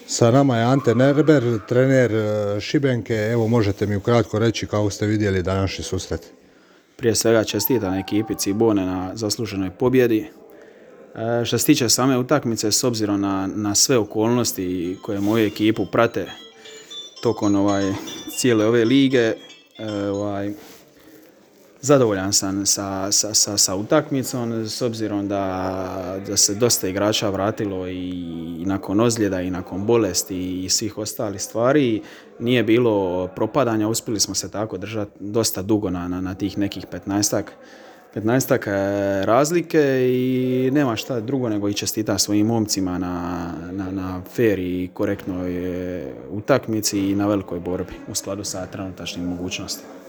Sa nama je Ante Nerber, trener Šibenke. Evo, možete mi ukratko reći kako ste vidjeli današnji susret? Prije svega čestitam ekipi Cibone na zasluženoj pobjedi. Što se tiče same utakmice, s obzirom na sve okolnosti koje moju ekipu prate tokom cijele ove lige, zadovoljan sam sa utakmicom, s obzirom da se dosta igrača vratilo i nakon ozljeda i nakon bolesti i svih ostalih stvari. Nije bilo propadanja, uspjeli smo se tako držati dosta dugo na tih nekih 15-ak razlike i nema šta drugo nego i čestita svojim momcima na fair i korektnoj utakmici i na velikoj borbi u skladu sa trenutačnim mogućnostima.